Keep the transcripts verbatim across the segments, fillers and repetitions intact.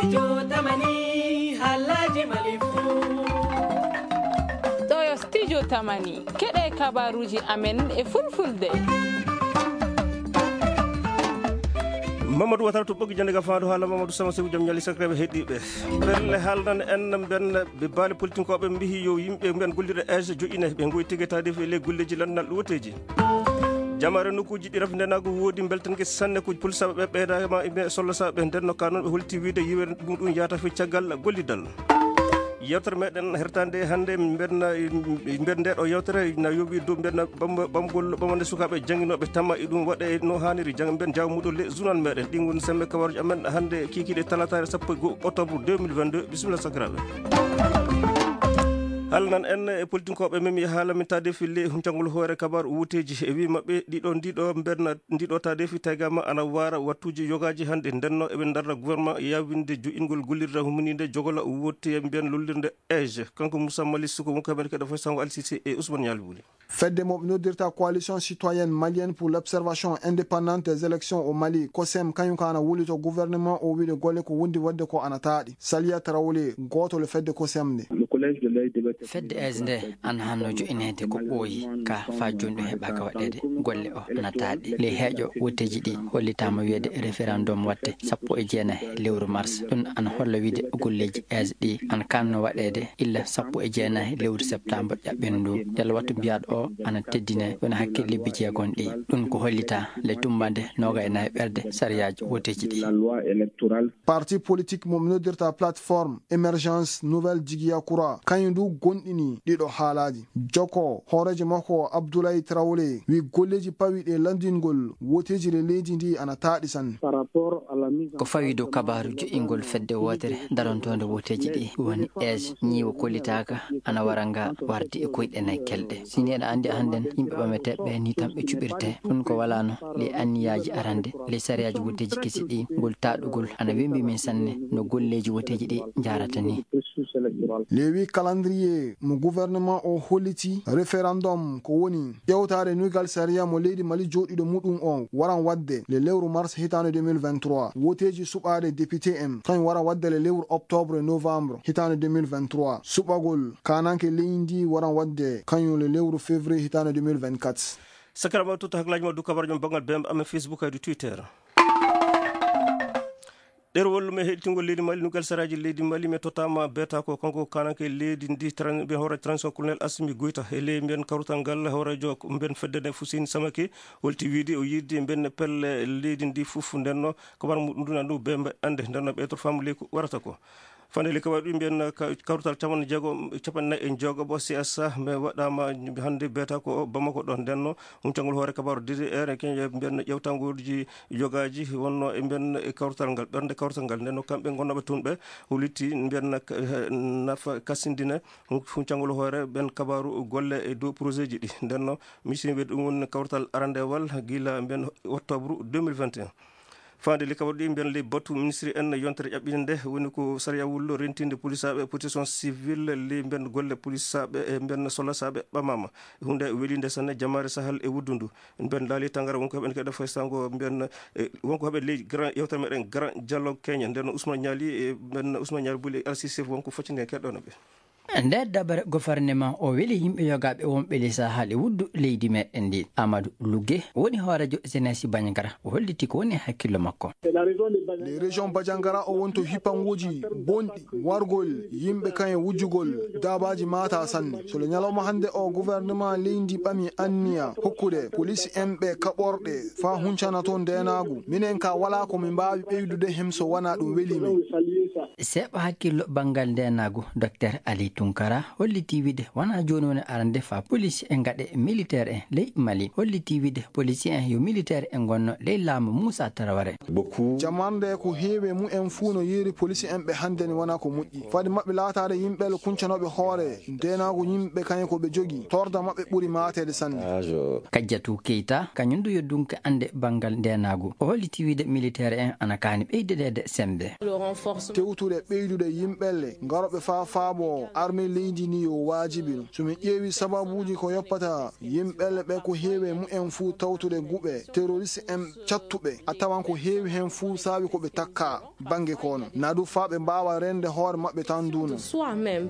Studio Tamani, haalaaji Mali fuu. Ɗo yo Studio Tamani, keɗe kabaruuji amen e fulfulde. Mamadou Watara to ɓoggi jannde ga faandu haala Mamadou Sama Seku jom ñali sakraɓe heɗɗiiɓe. Pelle haalnan en mben ɓe baali politinkooɓe mbihi yo yimɓe mben gollirɗe age joƴƴine ɓe ngoy tigi taade e ley golleeji lannal ɗuwateeji. Jamaare nokkuuji ɗi rafi ndenaagu woodi mbeltanke sanne ko pulsaaɓe ɓe ɓeydaama e ɓe sollasaaɓe nden no ka noon ɓe holti wiide yiwere ɗum ɗum yaata fe caggal gollidal. Yewtere meɗen hertande hannde mbenna mben nde ɗo yewtere na yowi dow mbenna ɓamgol ɓamande sukaaɓe jannginooɓe tamma e ɗum waɗe no haaniri jang mben jawmuɗo le journal meɗen ɗin woni semme kabaruji amen hannde kikiɗe talataare sappo e goo octobre deux mille vingt-deux. Bisimilla sakiraaɓe. Haalnan en e politinkooɓe men mi haala min taade fille huncangol hoore kabaru wuteeji e wi maɓɓe ɗiɗo ndiɗo mbenna ndiɗo taade fi taygama ana waara wattuuji yogaaji hannde ndenno eɓe ndarna gouvernement yawinde joƴƴingol gollirde humninde jogola wotte mbiyan lollirde age kanko Moussa Mali Suko wonko heɓen keɗo fof sango Alsisi e Ousmane Ñaali Wuli. Fedde mo ɓe noddirta Coalition Citoyenne Malienne pour l'Observation Indépendante des Élections au Mali, COSEM, kañum ka ana wuli to gouvernement o wiide golle ko wondi waɗde ko ana taaɗi. Saliya Tarawle, gooto le fedde COSEM nde. Fedde age nde ana hanno joƴƴineede ko ɓooyi ka faa jooni ɗum heɓaaka waɗeede. Golle o ana taaɗi. Ley heeƴo wotteeji ɗi hollitaama wiyeede référendum waɗte sappo e jeenayi lewru mars. Ɗum ana holla wiide golleeji age ɗi ana kaanno waɗeede illa sappo e jeenayi lewru septembre ƴaɓɓen ndu. Yalla wattu mbiyaaɗo o ana teddine wona hakke lebbi jeegom ɗi. Ɗum ko hollita le tummbande noogay e nayi ɓerde sariyaaji wotteeji ɗi. Parti politique mo mi noddirta plateforme émergence nouvelle Jigiyakura, kañum du gonɗini ɗiɗo haalaaji. Jokko hooreejo makko Abdoulaye Traoré wi golleeji pawiiɗi e lanndingol woteeji le leydi ndi ana taaɗi sanne. Ko fawi dow kabaaru joƴƴingol fedde wootere darontoonde woteeji ɗi woni age ñiiwa kollitaaka ana wara nga wardi e koyɗe nay kelɗe. Si ni eɗa anndi hannden yimɓe ɓameteeɓe ni tan ɓe cuɓirte. Ɗum ko walaano ley anniyaaji arande ley sariyaaji woteeji kesi ɗi ngol taaɗugol ana wembi min sanne no golleeji woteeji ɗi njaarata ni. Lewi calendrier mo gouvernement o holliti référendum ko woni ƴewtaade nuygal sariya mo leydi Mali jooɗiiɗo muɗum o waran waɗde le lewru mars hitaande deux mille vingt-trois. Woteeji suɓaade député en kañum waran waɗde le lewru octobre e novembre hitaande deux mille vingt-trois. Suɓagol kananke leydi ndi waran waɗde kañum le lewru février hitaande deux mille vingt-quatre. Sakarama totta haklaaji ma du kabar jom banngal bembe amen Facebook haydu Twitter. Ɗerwol men heɗitingol leydi Mali nugal saraaji leydi Mali men tottama beta ko kanko kananke leydi ndi tran ɓe hoore transition colonel Assimi Goïta e ley mbiyen kawrutal ngal hoorejo mbiyen fedde nde Fuseni Samake holti wiide o yiɗde mbiyen pelle leydi ndi fof ndenno kabar muɗum nduna ndu bembe ande ndenno ɓe to fam leyku warata ko. Fande le kabar ɗum mbiyen kawrutal capanɗe jeego capanɗe nayi e jeego bo C S A mais waɗama hande beta ko Bamako ɗon ndenno. Huncangol hoore kabaru D D R e keñe mbiyen ƴewtangoji yogaaji wonno e mbiyen e kawtal ngal ɓernde kawtal ngal nden no kamɓe gonnooɓe toon ɓe hollitti mbiyen nafa kasindine. Huncangol hoore ɓen kabaru golle e dow projet ji ɗi nden no misin wiyde ɗum woni kawtal arandewal gila mbiyen octobre deux mille vingt et un. Faande li kabaru ɗi mbiyen ley batu ministre en yontere ƴaɓɓinde nde woni ko sariya wullo rentinde polisaɓe protection civile ley mbiyen golle polisaɓe e mbiyen solasaaɓe ɓamama. Hunde welinde sanne jamaare sahal e wuddundu. Mbiyen laali tangara wonko heɓen keɗa fay sango mbiyen wonko heɓen ley grand yewtere meɗen grand dialogue kenya nden Ousmane Niali e mbiyen Ousmane Niali buli alsisef wonko foccinde keɗɗono ɓe. Nder dabare gouvernement o weli yimɓe yogaaɓe wonɓe ley sahal e wuddu leydi meɗen ndi. Amadou Lugge woni hoorejo jeunesse Bandiagara, o holliti ko woni hakkillo makko. Les régions Bandiagara o wonto hippangooji bonɗi wargol yimɓe kan e wujjugol daabaaji maata sanne. So le ñalawma hannde o gouvernement leydi ɓami anniya hokkude police en ɓe kaɓorɗe faa huncana toon ndeenaagu. Minen ka walaa ko min mbaawi ɓeydude hem so wanaa ɗum weli min. Seeɓa hakkillo banngal ndeenaagu, Docteur Ali Tunkara holliti wiide wonaa jooni woni arande faa police en ngaɗe militaire en ley Mali. Holliti wiide policier en yo militaire en ngonno ley laamu Moussa Traoré. Jamarnde ko heewi e mumen fuu no yeeri police en ɓe hannde ni wonaa ko moƴƴi. Fadi maɓɓe laataade yimɓe le kuncanooɓe hoore ndeenaagu yimɓe kañe ko ɓe jogi torda maɓɓe ɓuri maateede sanne. Kajjatu Keita kañum du yo dunke annde banngal ndeenaagu. O holliti wiide militaire en ana kaani ɓeydedeede semmbe. Tewtude ɓeydude yimɓe le ngarooɓe faa faabo Armée leydi ni yo waajibi ɗum. So min ƴeewi sababuuji ko yoppata yimɓe ɓe, ko heewi e mumen fuu tawtude guɓe terroriste en cattuɓe, a tawan ko heewi heen fuu saabi ko ɓe takka bannge kono. Na du faa ɓe mbaawa rende hoore maɓɓe tan duuno.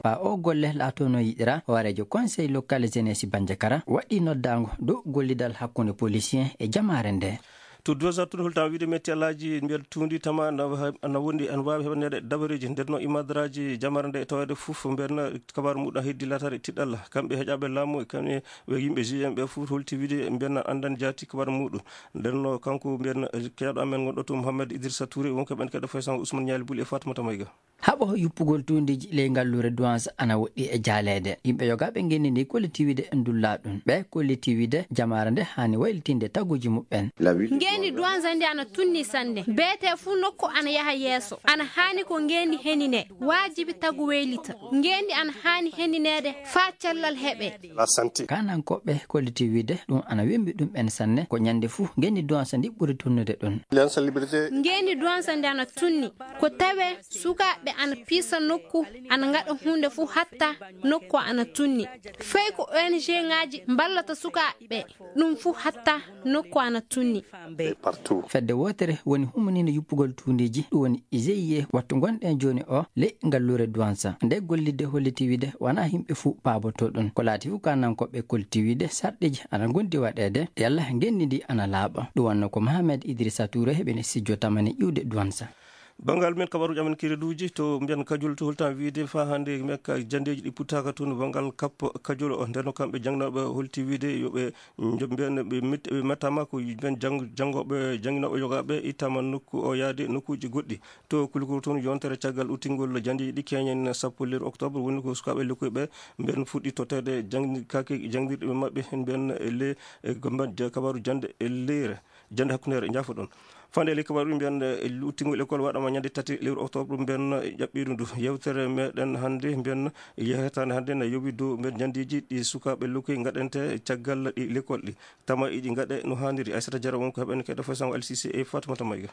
Faa o golle laatoo no yiɗira, hooreejo Conseil local jeunesse Banjakara waɗi noddaango dow gollidal hakkunde policier e jamaare nde. To Douazar tun holta wiide metti alaaji mbiyen tuundi tama ana ha-, ana wondi ana waawi heɓaneede dabareeji nder no imadaraaji jamaare nde e taweede fof mbiyen kabaru muɗum heddi laataade tiɗɗalla. Kamɓe heƴaaɓe laamu e kamɓe ɓe yimɓe G M ɓe fof holti wiide mbiyen andan jaati kabaru muɗum. Nden no kanko mbiyen keeɗo amen gonɗo to Mouhamed Idrissa Touré wonko ɓen keɗo fay sango Ousmane Ñaali Buli e Fatoumata Mayga. Haɓo yuppugol tuundiiji ley ngalluure Douanza ana woɗɗi e jaaleede. Yimɓe yogaaɓe ngenndi ndi kollitiwiide ndullaa ɗum. Ɓe kollitiwiide jamaare nde haani waylitinde taguuji muɓɓen. Ngeendi Douanza ndi ana tunni sanne. Beetee fuu nokku ana yaha yeeso. Ana haani ko ngeendi henine. Waajibi tagu weylita. Ngeendi ana haani henineede faa cellal heɓee. Kanankooɓe kollitiwiide ɗum ana wembi ɗum ɓen sanne. Ko ñande fuu ngeendi Douanza ndi ɓuri tunnude ɗum. Ngeendi Douanza ndi ana tunni. Ko tawee sukaaɓe ana piisa nokku, ana ngaɗa huunde fuu hatta nokku ana tunni. Fay ko O N G ŋaaji mballata sukaaɓe, ɗum fuu hatta nokku ana tunni. Fedde wootere woni humaniinde yuppugol tuundiiji, ɗum woni I G I E, wattu ngonɗen jooni o ley ngalluure Douanza. Nde gollidde holliti wiide wonaa yimɓe fuu paabotoo ɗum. Ko laati fuu kanankooɓe kolliti wiide sarɗiiji ana ngondi waɗeede, yalla ngeendi ndi ana laaɓa. Ɗum wonno ko Mohamed Idrissa Touré heɓini sijjo tamani iwde Douanza. Banngal men kabaruuji amen kereduuji to mbiyan Kajol to holtan wiide faa hannde mekka janndeeji ɗi puttaaka toon banngal kappo Kajol o. Nden no kamɓe jangnooɓe holti wiide yo ɓe njo-, mbiyan ɓe met-, ɓe mettaama ko mbiyan jang-, janngooɓe, jannginooɓe yogaaɓe ittaama nokku o yaade nokkuuji goɗɗi. To Kulikoro toon yontere caggal uttingol janndeeji ɗi keñen sappo lewru octobre woni ko sukaaɓe lekkoy ɓe mbiyan fuɗɗi totteede jangdi-, kake janngirɗe maɓɓe mbiyan le, e, gomba-, ja-, kabaru jannde e leyre. Jannde hakkundeere, njaafoɗon. Fande e ley kabaaru mbiyan, eh, luuttingol école waɗama ñande tati lewru octobre mbiyan ƴaɓɓiiru ndu. Yewtere meɗen hannde mbiyan yehetaande hannde na yowi dow mbiyan janndeeji ɗi sukaaɓe lokkoy ngaɗante caggal ɗi l'école ɗi. Tama iɗi ngaɗe no haaniri. Aissata Diarra won ko heɓen keɗo fo sango L C C e Fatoumata Mayga.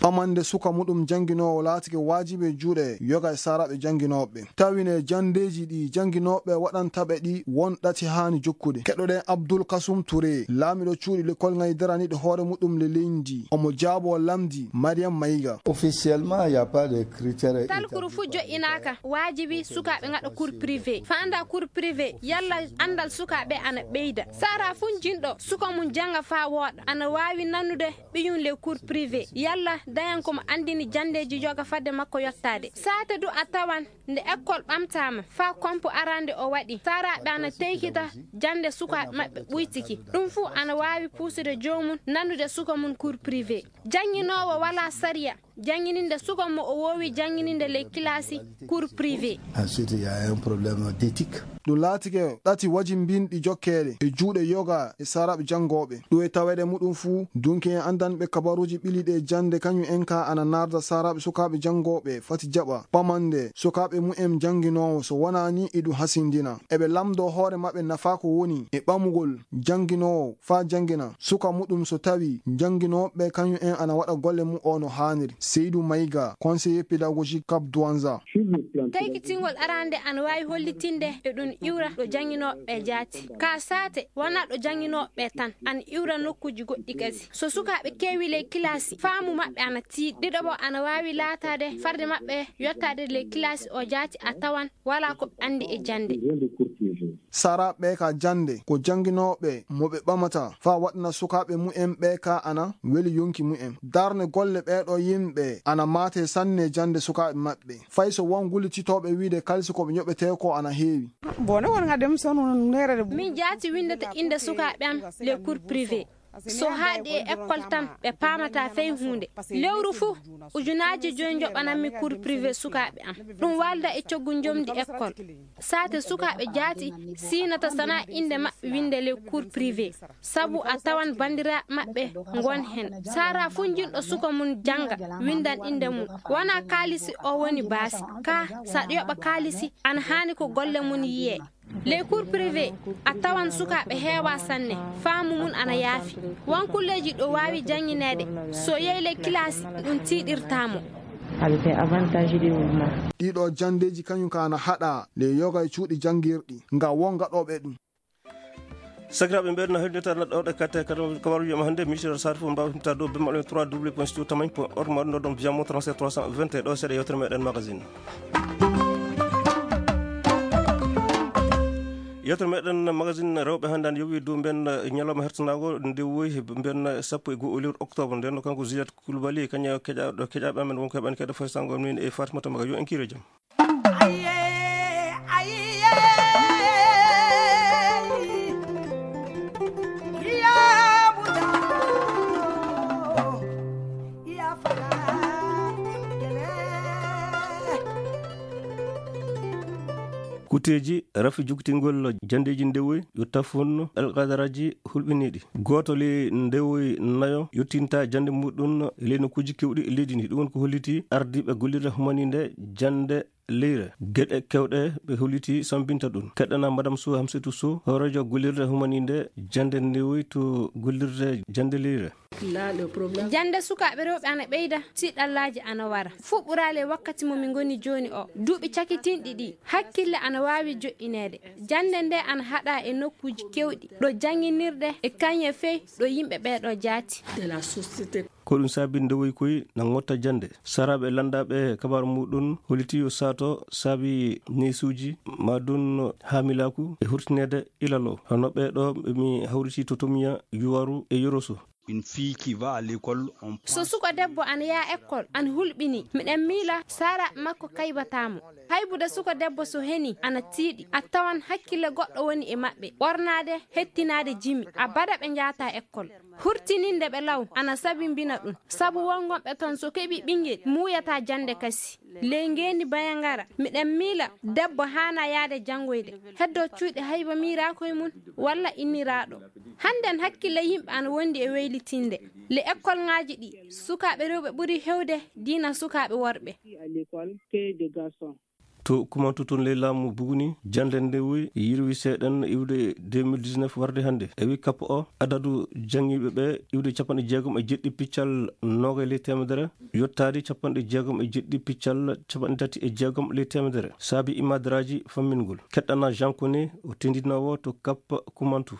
Ɓamande suka muɗum jannginoowo laatike waajibi e juuɗe yoga e saaraaɓe jannginooɓe. Tawine janndeeji ɗi jannginooɓe waɗanta ɓe ɗi won ɗati haani jokkude. Keɗoɗen Abdul Kasum Touré, laamiɗo cuuɗi lekkol ngaydaraniiɗo hoore muɗum le leydi. Omo jaaboo lamndi Mariam Mayiga. Officiellement, il y a pas de critère. Talkuru fuu joƴƴinaaka. Waajibi sukaaɓe ngaɗa cours privé. Faanda cours privé, yalla anndal sukaaɓe ana ɓeyda. Saaraa fuu jinɗo suka mum jannga faa wooɗa, ana waawi nanude ɓiyum le cours privé, yalla dañan ko mo anndini janndeeji yoga fadde makko yottaade. Saate du a tawan nde école ɓamtaama, faa kompo arande o waɗi, saaraaɓe ana teykita jannde sukaaɓe maɓɓe ɓuytiki. Ɗum fuu ana waawi puusude joomum nanude suka mum cours privé. Jannginoowo walaa sariya janngininde suka mo o woowi janngininde ley kilaasi cours privé. Ensuite, il y a un problème d'éthique. Ɗum laatike ɗati wajimbinɗi jokkeede e juuɗe yoga e saaraaɓe janngooɓe. Ɗum e taweede muɗum fuu, dunki en anndanɓe kabaruuji ɓiliiɗi e jannde kañum en ka ana naarda saaraaɓe sukaaɓe janngooɓe fati jaɓa ɓamande sukaaɓe mumen jannginoowo, so wonaa ni iɗum hasindina. Eɓe lamndoo hoore maɓɓe nafaa ko woni e ɓamugol jannginoowo faa janngina suka muɗum so tawii jannginooɓe kañum en ana waɗa golle mum o no haaniri. Seydou Maïga, conseiller pédagogique Cap Douanza. Taykitingol arande ana waawi hollitinde e ɗum iwra ɗo jannginooɓe jaati. Ka saate wonaa ɗo jannginooɓe tan, ana iwra nokkuuji goɗɗi kadi. So sukaaɓe keewi ley kilaasi, faamu maɓɓe ana tiiɗi. Ɗiɗaɓo ana waawi laataade farde maɓɓe yottaade ley kilaasi o jaati a tawan walaa ko ɓe anndi e jannde. Saaraaɓe ɓee ka jannde ko jannginooɓe mo ɓe ɓamata faa waɗana sukaaɓe mumen ɓee ka ana weli yonki mumen. Darne golle ɓee ɗoo yimɓe ana maate sanne jannde sukaaɓe maɓɓe. Fay so won gullititooɓe wiide kalisi ko ɓe njoɓetee ko ana heewi. Bone won ngadde mi sonu neerede. Min jaati winndata innde sukaaɓe am les cours privés. So haaɗi e école tan, ɓe paamataa fey huunde. Lewru fuu, ujunaaji joy njoɓanammi cours privé sukaaɓe am. Ɗum waalda e coggu njomdi école. Saate sukaaɓe jaati siinata sanaa innde maɓɓe winnde les cours privé. Sabu a tawan banndiraaɓe maɓɓe ngon heen. Saaraa fuu njiɗɗo suka mum jannga, winndan innde mum. Wonaa kaalisi o woni baasi. Kaa, so aɗa yoɓa kaalisi, ana haani ko golle mum yiyee. Les cours privés, a tawan sukaaɓe heewaa sanne, faamu mum ana yaafi. Won kulleeji ɗo waawi janngineede, so yehi ley kilaasi, ɗum tiiɗirtaa mo. Avec avantage ɗi wulma. Ɗiɗo janndeeji kañum ka ana haɗa le yoga e cuuɗi janngirɗi nga won gaɗooɓe ɗum. Sakiraaɓe, mbeɗa na hoɗinta naɗɗo ɗe katte kadi kabaruji ma hannde, ministre sar fof mbawtinta dow bemmaɗo trois w point studio tamay point org ma ɗum ɗo ɗon via mo trente-sept trois cent vingt et un ɗo seeɗa yewtere meɗen magazine. Yewtere meɗen magazine rewɓe hannde an yowi dow mben ñalawma hertanago nde woyi mben sappo e go'o lewru octobre nden, kanko Juliette Koulibaly kañum keƴaɗo keƴaɓe amen wonko heɓani keɗa foy sango min e Fatimata Maga yo en kire jam. Kuteeji rafi jogtingol janndeeji ndewoy yo tafon alqadaraji hulɓiniiɗi. Gooto le ndewoy nayo yottinta jannde muɗum e ley nokkuuji keewɗi e leydi ndi. Ɗum woni ko holliti ardiiɓe gollirde humaninde jannde leyre. Geɗe kewɗe ɓe holliti sambinta ɗum. Keɗɗana Madame Sow Hamsetou Sow, hooreejo gollirde humaninde jannde ndewoy to gollirde jannde leyre. Jannde sukaaɓe rewɓe ana ɓeyda, tiiɗallaaji ana wara. Fuɗɗoraali e wakkati mo min ngoni jooni o. Duuɓi cakitinɗi ɗi, hakkille ana waawi joɗɗineede. Jannde nde ana haɗa e nokkuuji keewɗi, ɗo jannginirɗe e kañe fey ɗo yimɓe ɓeeɗo jaati. Ko ɗum saabi ndewoy koy na ngotta jannde. Saraaɓe lanndaaɓe kabaaru muɗum holliti yo saato saabi neesuuji ma ɗum haamilaaku e hurtineede ilalo. Hono ɓeeɗo ɓe mi hawriti to Tomiya, Yuwaru e Yoroso. Une fille qui va à l'école, on So pense suko debbo ana yaa ekkol, ana hulɓini, miɗen miila saaraaɓe makko kaybataa mo. Haybude suko debbo so heni ana tiiɗi, a tawan hakkille goɗɗo woni e maɓɓe, ɓornaade, hettinaade jimi, a baɗa ɓe njaata ekkol. Hurtininde ɓe law ana sabimbina ɗum, sabu won gonɓe toon so keɓi ɓinngel muuyata jannde kasi. Ley ngeendi Bayangara, miɗen miila debbo haana yaade janngoyde, heddo cuuɗi hayba miiraakoye mum walla inniraaɗo. Hannden hakkille yimɓe ana wondi e weylitinde. Le ekkolŋaaji ɗi, sukaaɓe rewɓe ɓuri hewde diina sukaaɓe worɓe. À l'école que des garçons. To Kumantu toon ley laamu Buguni, jannde nde woyi yirwi seeɗan iwde deux mille dix-neuf warde hannde. E wi kappo o, adadu janngiiɓe ɓe iwde capanɗe jeegom e jeɗɗi piccal noogay ley teemedere, yottaade capanɗe jeegom e jeɗɗi piccal capanɗe tati e jeegom ley teemedere. Saabi imadaraaji fammingol. Keɗɗana Jean Koné, o tendinoowo to Kap Kumantu.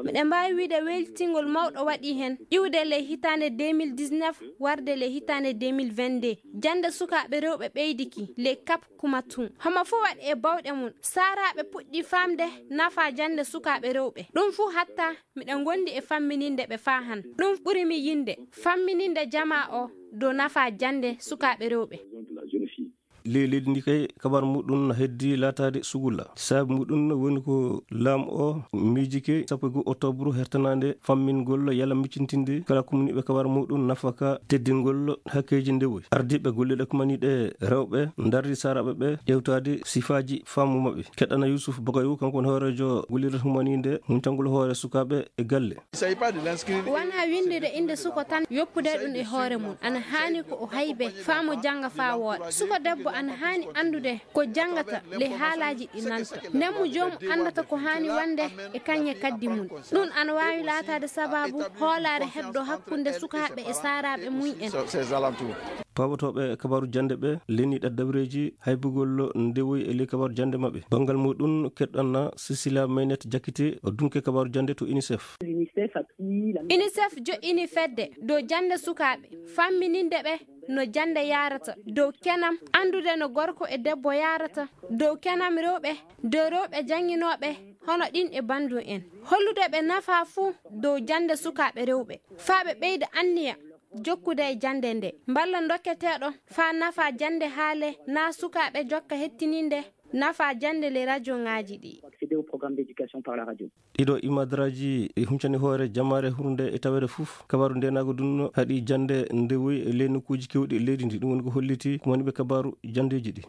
Miɗen mbaawi wiyde weylitingol mawɗo waɗi heen, iwde ley hitaande deux mille dix-neuf warde ley hitaande deux mille vingt-deux. Jannde sukaaɓe rewɓe ɓeydiki ley Kap Kumantu. Homo fof waɗi e bawɗe mum. Saaraaɓe puɗɗi faamde nafa jannde sukaaɓe rewɓe. Ɗum fuu hatta miɗen ngondi e fammininde ɓe faa han. Ɗum ɓuri mi yinde, fammininde jamaa o dow nafa jannde sukaaɓe rewɓe. Ley leydi ndi kay, kabar muɗum no heddi laataade sugulla. Saabi muɗum woni ko laamu o miijike sappo e go'o octobre hertanaande fammingol yalla miccintinde kala kumniiɓe kabar muɗum nafaka teddingol hakkeeji ndewoy. Ardiiɓe golleɗe kumaniiɗe rewɓe ndardi saaraaɓe ɓe ƴewtaade sifaaji faamu maɓɓe. Keɗɗana Yusuf Bagayow, kanko woni hooreejo gollirde humaniinde huncangol hoore sukaaɓe e galle. Wonaa winndude innde suko tan, yoppude ɗum e hoore mum. Ana haani ko o haybe, faa mo jannga faa wooɗa. Suko debbo ana haani anndude ko janngata ley haalaaji ɗi nanta. Nden mo joomum anndata ko haani wonde e kañe kaddi mum. Ɗum ana waawi laataade sabaabu hoolaare heddo hakkunde sukaaɓe e saaraaɓe mum en. Paabotooɓe kabaaru jannde ɓe leniiɗe dabareeji haybugol ndewoy e ley kabaaru jannde maɓɓe. Banngal muɗum, keɗɗanna Cecilia Maynet Jakite, o dunke kabaaru jannde to UNICEF. UNICEF joɗɗini fedde dow jannde sukaaɓe, fammininde ɓe no jannde yaarata, dow kenam anndude no gorko e debbo yaarata, dow kenam rewɓe, dow rewɓe jannginooɓe hono ɗin e banndum en. Hollude ɓe nafa fuu dow jannde sukaaɓe rewɓe, faa ɓe ɓeyda anniya jokkude e jannde nde. Mballa dokketeeɗo faa nafa jannde haale naa sukaaɓe jokka hettininde nafa jannde ley rajoŋaaji ɗi. Accéder au programme d'éducation par la radio. Ɗiɗo imadaraaji e huncani hoore jamaare hurnde e taweede fof. Kabaaru ndeenaagu ɗum haɗi jannde ndewoy e ley nokkuuji keewɗi e leydi ndi. Ɗum woni ko holliti kumaniiɓe kabaaru janndeeji ɗi.